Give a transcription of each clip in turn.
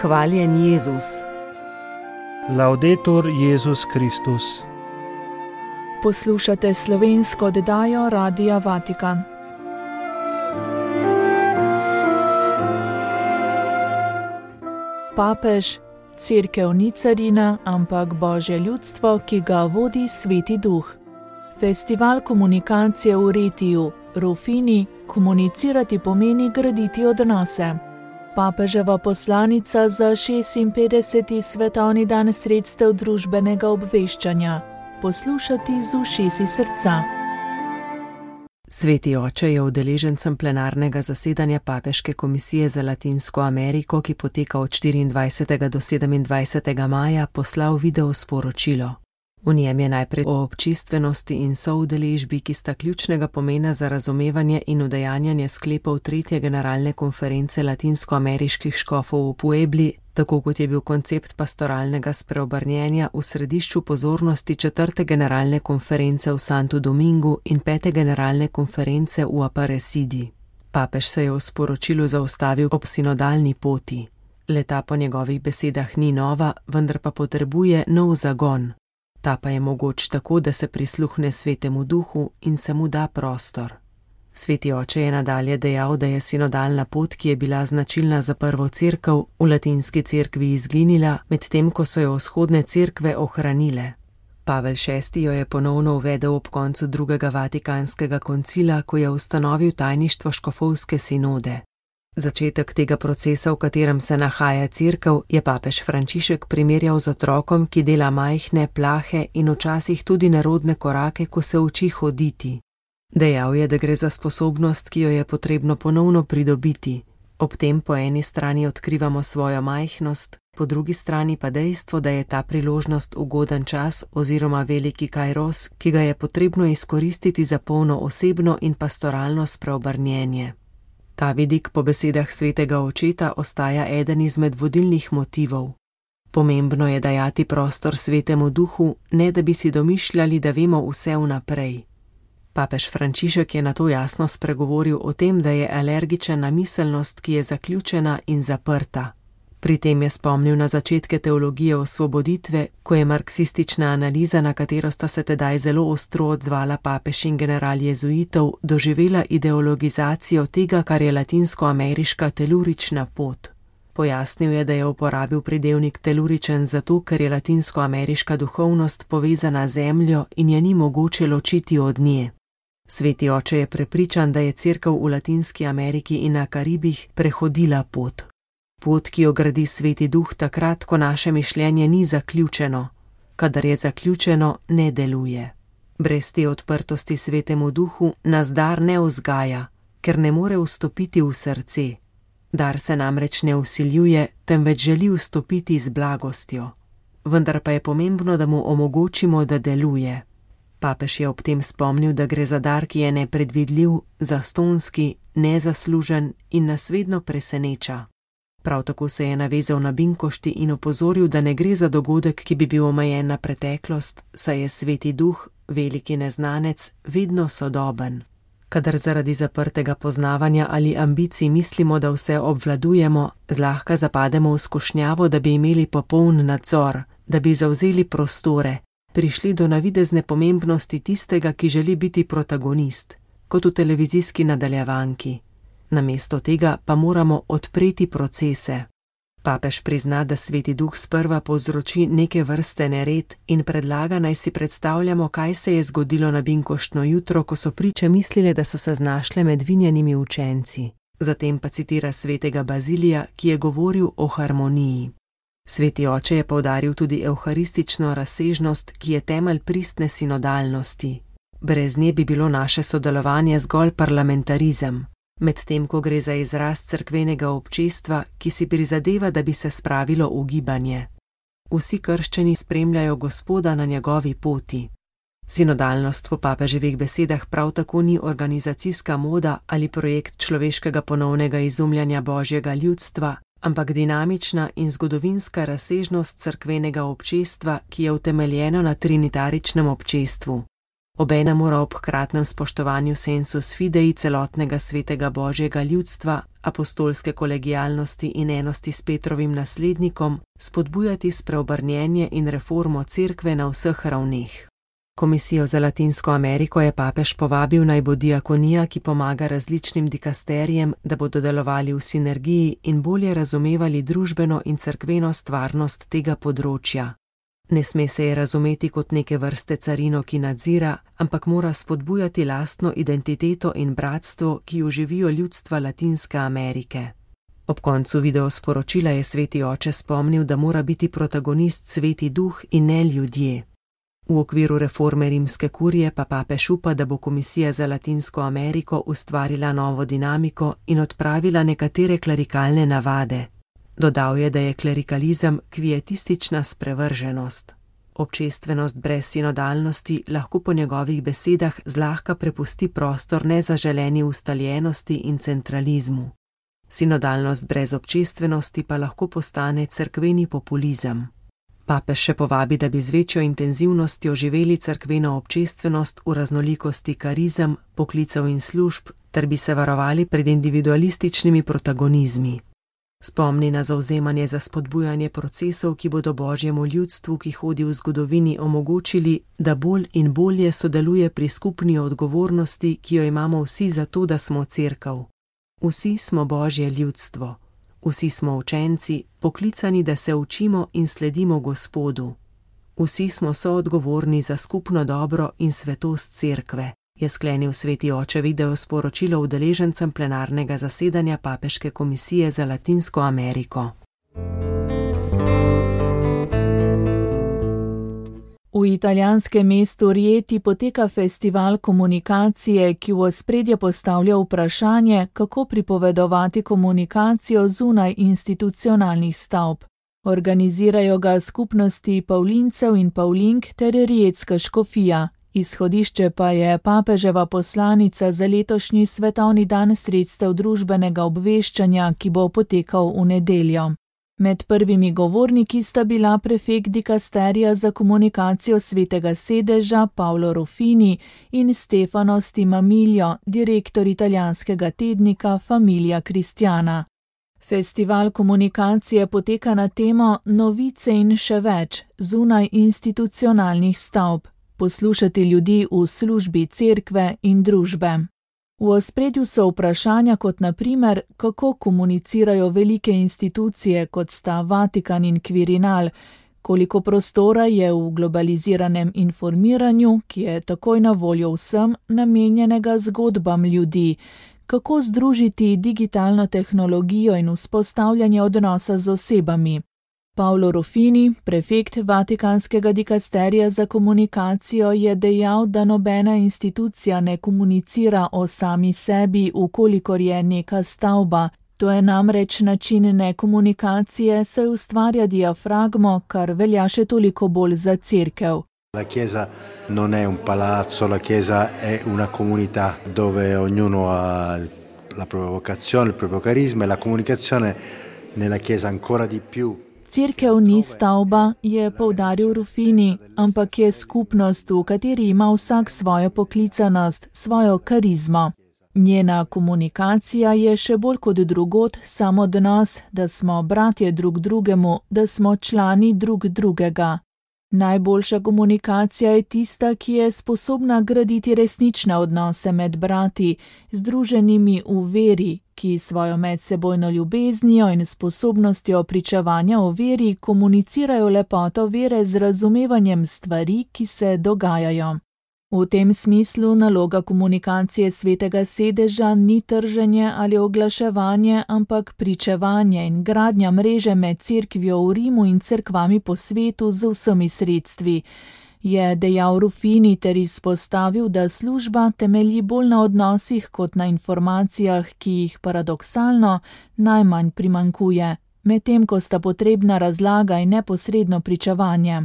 Hvaljen Jezus. Laudetur Jezus Kristus. Poslušate slovensko oddajo Radia Vatikan. Papež, cerkev ni carina, ampak Božje ljudstvo, ki ga vodi Sveti Duh. Festival komunikacije v Retiju, Rufini, komunicirati pomeni graditi odnose. Papeževa poslanica za 56. svetovni dan sredstev družbenega obveščanja. Poslušati z ušesi srca. Sveti oče je udeležencem plenarnega zasedanja Papeške komisije za Latinsko Ameriko, ki poteka od 24. do 27. maja, poslal video sporočilo. V njem je najprej o občestvenosti in soudeležbi, ki sta ključnega pomena za razumevanje in udejanjanje sklepov 3. generalne konference latinskoameriških škofov v Puebli, tako kot je bil koncept pastoralnega spreobrnjenja v središču pozornosti 4. generalne konference v Santo Domingu in 5. generalne konference v Aparecidi. Papež se je v sporočilu zaustavil ob sinodalni poti. Leta po njegovih besedah ni nova, vendar pa potrebuje nov zagon. Ta pa je mogoč tako, da se prisluhne Svetemu Duhu in se mu da prostor. Sveti oče je nadalje dejal, da je sinodalna pot, ki je bila značilna za prvo cerkev, v latinski cerkvi izginila, medtem ko so jo vzhodne cerkve ohranile. Pavel VI. Jo je ponovno uvedel ob koncu drugega Vatikanskega koncila, ko je ustanovil tajništvo škofovske sinode. Začetek tega procesa, v katerem se nahaja cerkev, je papež Frančišek primerjal z otrokom, ki dela majhne, plahe in včasih tudi nerodne korake, ko se uči hoditi. Dejal je, da gre za sposobnost, ki jo je potrebno ponovno pridobiti. Ob tem po eni strani odkrivamo svojo majhnost, po drugi strani pa dejstvo, da je ta priložnost ugoden čas oziroma veliki kairos, ki ga je potrebno izkoristiti za polno osebno in pastoralno spreobrnjenje. Ta vidik po besedah svetega očeta ostaja eden izmed vodilnih motivov. Pomembno je dajati prostor Svetemu Duhu, ne da bi si domišljali, da vemo vse vnaprej. Papež Frančišek je nato jasno spregovoril o tem, da je alergičen na miselnost, ki je zaključena in zaprta. Pri tem je spomnil na začetke teologije osvoboditve, ko je marksistična analiza, na katero sta se tedaj zelo ostro odzvala papež in general jezuitov, doživela ideologizacijo tega, kar je latinskoameriška telurična pot. Pojasnil je, da je uporabil pridevnik teluričen zato, ker je latinskoameriška duhovnost povezana z zemljo in je ni mogoče ločiti od nje. Sveti oče je prepričan, da je cerkev v Latinski Ameriki in na Karibih prehodila pot. Pot, ki jo gradi Sveti Duh takrat, ko naše mišljenje ni zaključeno. Kadar je zaključeno, ne deluje. Brez te odprtosti Svetemu Duhu nas dar ne vzgaja, ker ne more vstopiti v srce. Dar se namreč ne vsiljuje, temveč želi vstopiti z blagostjo. Vendar pa je pomembno, da mu omogočimo, da deluje. Papež je ob tem spomnil, da gre za dar, ki je nepredvidljiv, zastonski, nezaslužen in nas vedno preseneča. Prav tako se je navezal na binkošti in opozoril, da ne gre za dogodek, ki bi bil omejen na preteklost, saj je Sveti Duh, veliki neznanec, vedno sodoben. Kadar zaradi zaprtega poznavanja ali ambicij mislimo, da vse obvladujemo, zlahka zapademo v skušnjavo, da bi imeli popoln nadzor, da bi zavzeli prostore, prišli do navidezne pomembnosti tistega, ki želi biti protagonist, kot v televizijski nadaljevanki. Namesto tega pa moramo odpreti procese. Papež prizna, da Sveti Duh sprva povzroči neke vrste nered in predlaga, naj si predstavljamo, kaj se je zgodilo na binkoštno jutro, ko so priče mislile, da so se znašle med vinjenimi učenci. Zatem pa citira svetega Bazilija, ki je govoril o harmoniji. Sveti oče je poudaril tudi evharistično razsežnost, ki je temelj pristne sinodalnosti. Brez nje bi bilo naše sodelovanje zgolj parlamentarizem. Medtem ko gre za izraz cerkvenega občestva, ki si prizadeva, da bi se spravilo v gibanje. Vsi krščani spremljajo Gospoda na njegovi poti. Sinodalnost po papeževih besedah prav tako ni organizacijska moda ali projekt človeškega ponovnega izumljanja Božjega ljudstva, ampak dinamična in zgodovinska razsežnost cerkvenega občestva, ki je utemeljeno na trinitaričnem občestvu. Obenem mora ob hkratnem spoštovanju sensus fidei celotnega svetega Božjega ljudstva, apostolske kolegialnosti in enosti s Petrovim naslednikom spodbujati spreobrnjenje in reformo cerkve na vseh ravneh. Komisijo za Latinsko Ameriko je papež povabil naj bo diakonija, ki pomaga različnim dikasterijem, da bodo delovali v sinergiji in bolje razumevali družbeno in cerkveno stvarnost tega področja. Ne sme se je razumeti kot neke vrste carino, ki nadzira, ampak mora spodbujati lastno identiteto in bratstvo, ki jo živijo ljudstva Latinske Amerike. Ob koncu videosporočila je sveti oče spomnil, da mora biti protagonist sveti duh in ne ljudje. V okviru reforme rimske kurije pa papež upa, da bo Komisija za Latinsko Ameriko ustvarila novo dinamiko in odpravila nekatere klerikalne navade. Dodal je, da je klerikalizem kvietistična sprevrženost. Občestvenost brez sinodalnosti lahko po njegovih besedah zlahka prepusti prostor nezaželeni ustaljenosti in centralizmu. Sinodalnost brez občestvenosti pa lahko postane cerkveni populizem. Papež še povabi, da bi z večjo intenzivnostjo živeli cerkveno občestvenost v raznolikosti karizem, poklicev in služb, ter bi se varovali pred individualističnimi protagonizmi. Spomni na zavzemanje za spodbujanje procesov, ki bodo Božjemu ljudstvu, ki hodi v zgodovini, omogočili, da bolj in bolje sodeluje pri skupni odgovornosti, ki jo imamo vsi za to, da smo cerkev. Vsi smo Božje ljudstvo. Vsi smo učenci, poklicani, da se učimo in sledimo Gospodu. Vsi smo soodgovorni za skupno dobro in svetost cerkve, je sklenil sveti oče videosporočilo udeležencem plenarnega zasedanja Papeške komisije za Latinsko Ameriko. V italijanskem mestu Rieti poteka festival komunikacije, ki v ospredje postavlja vprašanje, kako pripovedovati komunikacijo zunaj institucionalnih stavb. Organizirajo ga skupnosti Pavlincev in Pavlink ter Rietska škofija. Izhodišče pa je papeževa poslanica za letošnji svetovni dan sredstev družbenega obveščanja, ki bo potekal v nedeljo. Med prvimi govorniki sta bila prefekt dikasterija za komunikacijo svetega sedeža Paolo Ruffini in Stefano Stimamilio, direktor italijanskega tednika Famiglia Cristiana. Festival komunikacije poteka na temo Novice in še več zunaj institucionalnih stavb. Poslušati ljudi v službi cerkve in družbe. V ospredju so vprašanja kot na primer, kako komunicirajo velike institucije, kot sta Vatikan in Quirinal, koliko prostora je v globaliziranem informiranju, ki je takoj na voljo vsem, namenjenega zgodbam ljudi, kako združiti digitalno tehnologijo in vzpostavljanje odnosa z osebami. Paolo Ruffini, prefekt Vatikanskega dikasterija za komunikacijo, je dejal, da nobena institucija ne komunicira o sami sebi, ukolikor je neka stavba. To je namreč način nekomunikacije, saj ustvarja diafragmo, kar velja še toliko bolj za cerkev. La Chiesa non è un palazzo, la Chiesa è una comunità dove ognuno ha la propria vocazione, il proprio carisma e la comunicazione nella Chiesa ancora di più. Cerkev ni stavba, je poudaril Ruffini, ampak je skupnost, v kateri ima vsak svojo poklicanost, svojo karizmo. Njena komunikacija je še bolj kot drugod samo odnos, da smo bratje drug drugemu, da smo člani drug drugega. Najboljša komunikacija je tista, ki je sposobna graditi resnične odnose med brati, združenimi v veri, ki svojo medsebojno ljubeznijo in sposobnostjo pričevanja o veri komunicirajo lepoto vere z razumevanjem stvari, ki se dogajajo. V tem smislu naloga komunikacije svetega sedeža ni trženje ali oglaševanje, ampak pričevanje in gradnja mreže med cerkvijo v Rimu in cerkvami po svetu z vsemi sredstvi, je dejal Ruffini ter izpostavil, da služba temelji bolj na odnosih kot na informacijah, ki jih paradoksalno najmanj primanjkuje, medtem ko sta potrebna razlaga in neposredno pričevanje.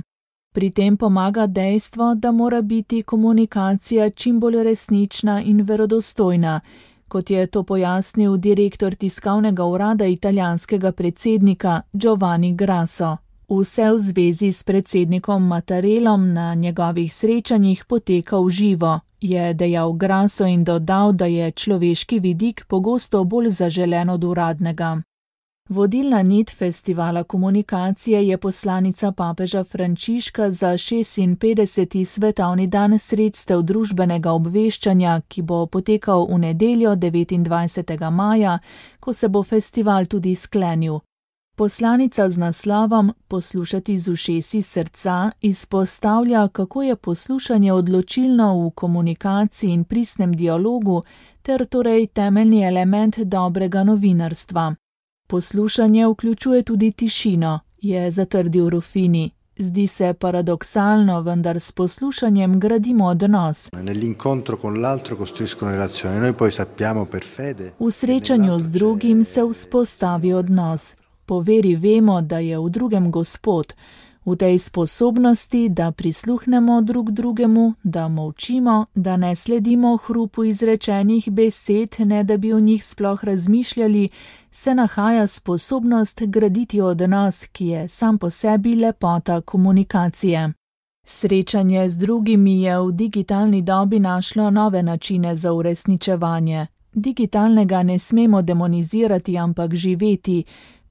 Pri tem pomaga dejstvo, da mora biti komunikacija čim bolj resnična in verodostojna, kot je to pojasnil direktor tiskovnega urada italijanskega predsednika Giovanni Grasso. Vse v zvezi s predsednikom Mattarellom na njegovih srečanjih poteka v živo, je dejal Grasso in dodal, da je človeški vidik pogosto bolj zaželen od uradnega. Vodilna nit festivala komunikacije je poslanica papeža Frančiška za 56. svetovni dan sredstev družbenega obveščanja, ki bo potekal v nedeljo 29. maja, ko se bo festival tudi sklenil. Poslanica z naslovom Poslušati z ušesi srca izpostavlja, kako je poslušanje odločilno v komunikaciji in pristnem dialogu ter torej temeljni element dobrega novinarstva. Poslušanje vključuje tudi tišino, je zatrdil Ruffini. Zdi se paradoksalno, vendar s poslušanjem gradimo odnos. V srečanju z drugim se vzpostavi odnos. Po veri vemo, da je v drugem Gospod, v tej sposobnosti, da prisluhnemo drug drugemu, da molčimo, da ne sledimo hrupu izrečenih besed, ne da bi o njih sploh razmišljali, se nahaja sposobnost graditi odnos, ki je sam po sebi lepota komunikacije. Srečanje z drugimi je v digitalni dobi našlo nove načine za uresničevanje. Digitalnega ne smemo demonizirati, ampak živeti,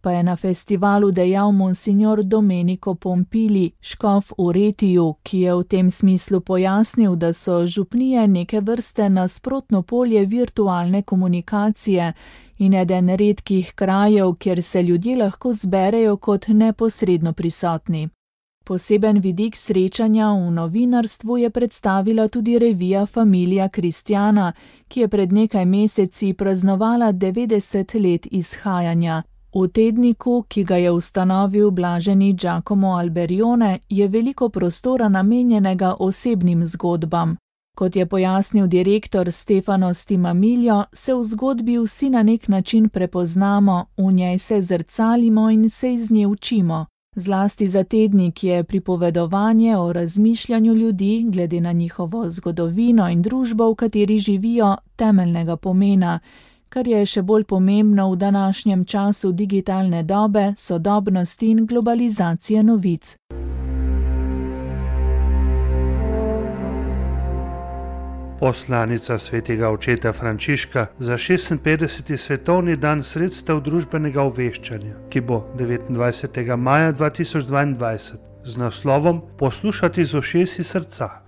pa je na festivalu dejal monsignor Domenico Pompili, škof v Retiju, ki je v tem smislu pojasnil, da so župnije neke vrste nasprotno polje virtualne komunikacije in eden redkih krajev, kjer se ljudje lahko zberejo kot neposredno prisotni. Poseben vidik srečanja v novinarstvu je predstavila tudi revija Familia Cristiana, ki je pred nekaj meseci praznovala 90 let izhajanja. V tedniku, ki ga je ustanovil blaženi Giacomo Alberione, je veliko prostora namenjenega osebnim zgodbam. Kot je pojasnil direktor Stefano Stimamilio, se v zgodbi vsi na nek način prepoznamo, v njej se zrcalimo in se iz nje učimo. Zlasti za tednik je pripovedovanje o razmišljanju ljudi glede na njihovo zgodovino in družbo, v kateri živijo, temeljnega pomena, kar je še bolj pomembno v današnjem času digitalne dobe, sodobnosti in globalizacije novic. Poslanica svetega očeta Frančiška za 56. svetovni dan sredstev družbenega obveščanja, ki bo 29. maja 2022 z naslovom Poslušati z ušesi srca.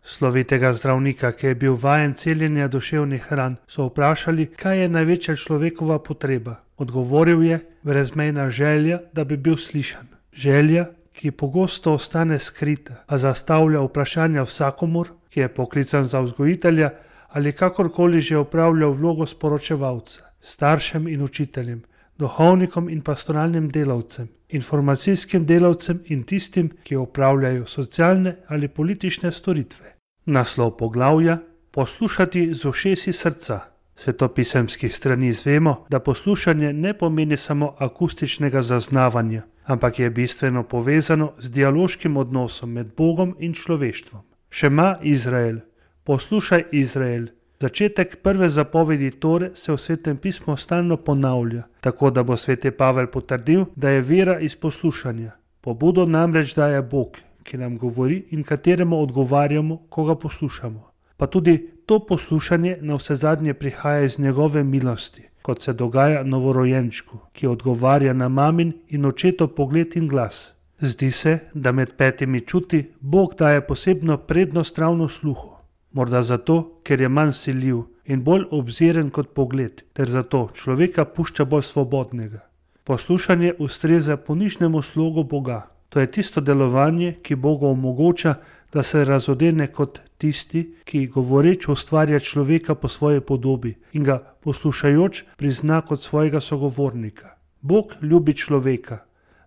Slovitega zdravnika, ki je bil vajen celjenja duševnih ran, so vprašali, kaj je največja človekova potreba. Odgovoril je, brezmejna želja, da bi bil slišan. Želja, ki pogosto ostane skrita, a zastavlja vprašanja vsakomur, ki je poklican za vzgojitelja ali kakorkoli že opravlja vlogo sporočevalca, staršem in učiteljem, duhovnikom in pastoralnim delavcem, informacijskim delavcem in tistim, ki opravljajo socialne ali politične storitve. Naslov poglavja: Poslušati z ušesi srca. Svetopisemskih strani izvemo, da poslušanje ne pomeni samo akustičnega zaznavanja, ampak je bistveno povezano z dialoškim odnosom med Bogom in človeštvom. Šema Izrael, poslušaj Izrael. Začetek prve zapovedi Tore se v Svetem pismu stalno ponavlja, tako da bo sveti Pavel potrdil, da je vera iz poslušanja. Pobudo namreč daje Bog, ki nam govori in kateremu odgovarjamo, ko ga poslušamo. Pa tudi to poslušanje navsezadnje prihaja iz njegove milosti, kot se dogaja novorojenčku, ki odgovarja na mamin in očetov pogled in glas. Zdi se, da med 5 čuti Bog daje posebno prednost ravno sluhu. Morda zato, ker je manj siljiv in bolj obziren kot pogled, ter zato človeka pušča bolj svobodnega. Poslušanje ustreza ponižnemu slogu Boga. To je tisto delovanje, ki Bogu omogoča, da se razodene kot tisti, ki govoreč ustvarja človeka po svoji podobi in ga poslušajoč prizna kot svojega sogovornika. Bog ljubi človeka.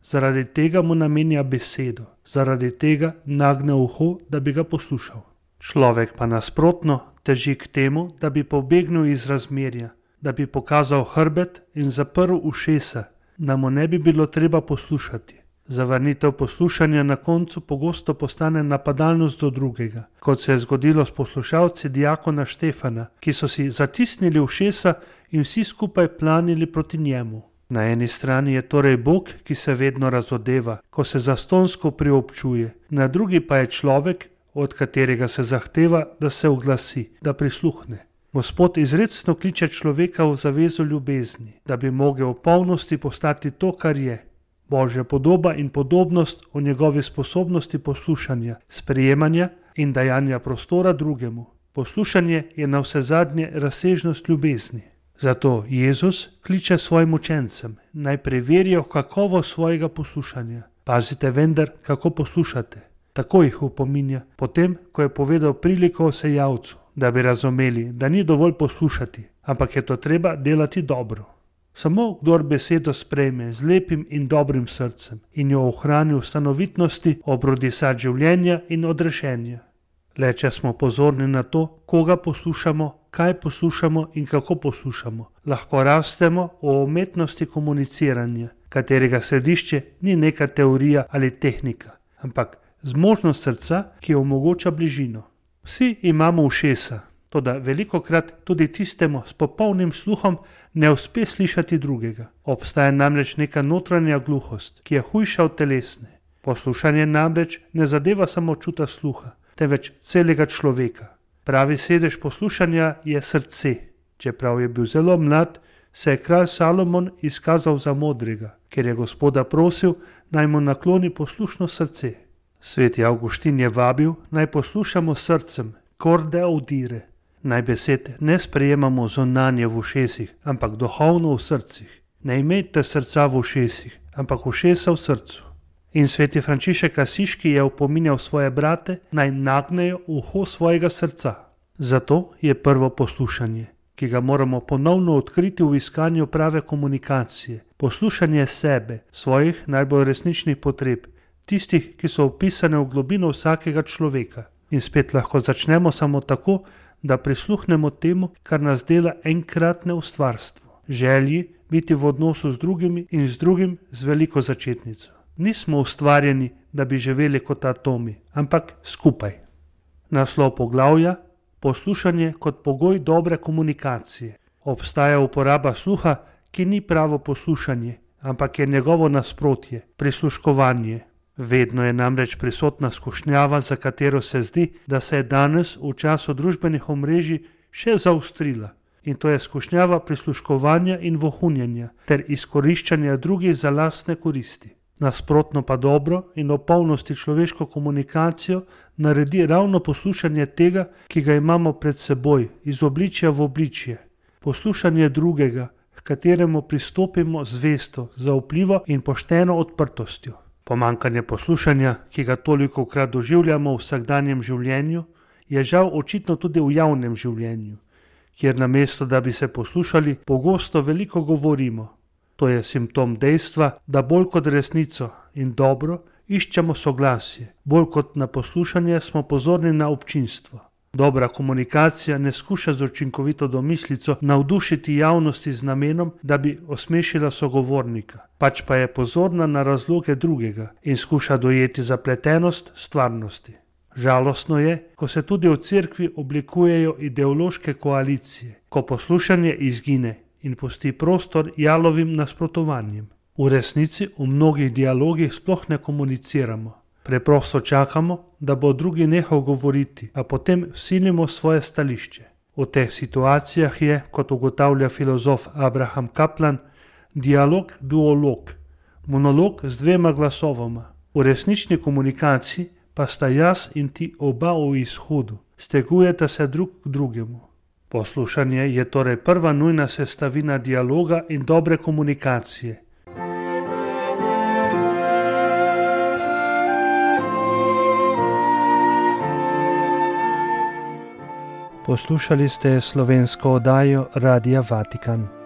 Zaradi tega mu namenja besedo, zaradi tega nagne uho, da bi ga poslušal. Človek pa nasprotno teži k temu, da bi pobegnil iz razmerja, da bi pokazal hrbet in zaprl ušesa, da mu ne bi bilo treba poslušati. Zavrnitev poslušanja na koncu pogosto postane napadalnost do drugega, kot se je zgodilo s poslušalci diakona Štefana, ki so si zatisnili ušesa in vsi skupaj planili proti njemu. Na eni strani je torej Bog, ki se vedno razodeva, ko se zastonjsko priobčuje, na drugi pa je človek, od katerega se zahteva, da se oglasi, da prisluhne. Gospod izrecno kliče človeka v zavezo ljubezni, da bi mogel v polnosti postati to, kar je. Božja podoba in podobnost o njegovi sposobnosti poslušanja, sprejemanja in dajanja prostora drugemu. Poslušanje je navsezadnje razsežnost ljubezni. Zato Jezus kliče svojim učencem, naj preverijo kakovost svojega poslušanja. Pazite vendar, kako poslušate. Tako jih opominja, potem, ko je povedal priliko o sejavcu, da bi razumeli, da ni dovolj poslušati, ampak je to treba delati dobro. Samo kdor besedo sprejme z lepim in dobrim srcem in jo ohrani v stanovitnosti, obrodi sad življenja in odrešenja. Le če smo pozorni na to, koga poslušamo, kaj poslušamo in kako poslušamo, lahko rastemo o umetnosti komuniciranja, katerega središče ni neka teorija ali tehnika, ampak zmožnost srca, ki omogoča bližino. Vsi imamo ušesa, toda velikokrat tudi tistemu s popolnim sluhom ne uspe slišati drugega. Obstaja namreč neka notranja gluhost, ki je hujša od telesne. Poslušanje namreč ne zadeva samo čuta sluha, temveč celega človeka. Pravi sedež poslušanja je srce. Čeprav je bil zelo mlad, se je kralj Salomon izkazal za modrega, ker je Gospoda prosil, naj mu nakloni poslušno srce. Sveti Avguštin je vabil, naj poslušamo srcem, corde audire. Naj besed ne sprejemamo zunanje v ušesih, ampak duhovno v srcih. Ne imejte srca v ušesih, ampak ušesa v srcu. In sveti Frančišek Asiški je opominjal svoje brate, naj nagnejo uho svojega srca. Zato je prvo poslušanje, ki ga moramo ponovno odkriti v iskanju prave komunikacije. Poslušanje sebe, svojih najbolj resničnih potreb, tistih, ki so vpisane v globino vsakega človeka. In spet lahko začnemo samo tako, da prisluhnemo temu, kar nas dela enkratne ustvarstvo. Želji biti v odnosu z drugimi in z drugim z veliko začetnico. Nismo ustvarjeni, da bi živeli kot atomi, ampak skupaj. Naslov poglavja: poslušanje kot pogoj dobre komunikacije. Obstaja uporaba sluha, ki ni pravo poslušanje, ampak je njegovo nasprotje, prisluškovanje. Vedno je namreč prisotna skušnjava, za katero se zdi, da se je danes v času družbenih omrežij še zaostrila. In to je skušnjava prisluškovanja in vohunjenja ter izkoriščanja drugih za lastne koristi. Nasprotno pa dobro in v polnosti človeško komunikacijo naredi ravno poslušanje tega, ki ga imamo pred seboj, iz obličja v obličje. Poslušanje drugega, k kateremu pristopimo zvesto, zaupljivo in pošteno odprtostjo. Pomanjkanje poslušanja, ki ga tolikokrat doživljamo v vsakdanjem življenju, je žal očitno tudi v javnem življenju, kjer namesto, da bi se poslušali, pogosto veliko govorimo. To je simptom dejstva, da bolj kot resnico in dobro iščemo soglasje, bolj kot na poslušanje smo pozorni na občinstvo. Dobra komunikacija ne skuša z učinkovito domislico navdušiti javnosti z namenom, da bi osmešila sogovornika, pač pa je pozorna na razloge drugega in skuša dojeti zapletenost stvarnosti. Žalostno je, ko se tudi v cerkvi oblikujejo ideološke koalicije, ko poslušanje izgine in pusti prostor jalovim nasprotovanjem. V resnici v mnogih dialogih sploh ne komuniciramo. Preprosto čakamo, da bo drugi nehal govoriti, a potem vsilimo svoje stališče. V teh situacijah je, kot ugotavlja filozof Abraham Kaplan, dialog duolog, monolog z dvema glasovoma. V resnični komunikaciji pa sta jaz in ti oba v izhodu, stegujeta se drug k drugemu. Poslušanje je torej prva nujna sestavina dialoga in dobre komunikacije. Poslušali ste slovensko oddajo Radia Vatikan.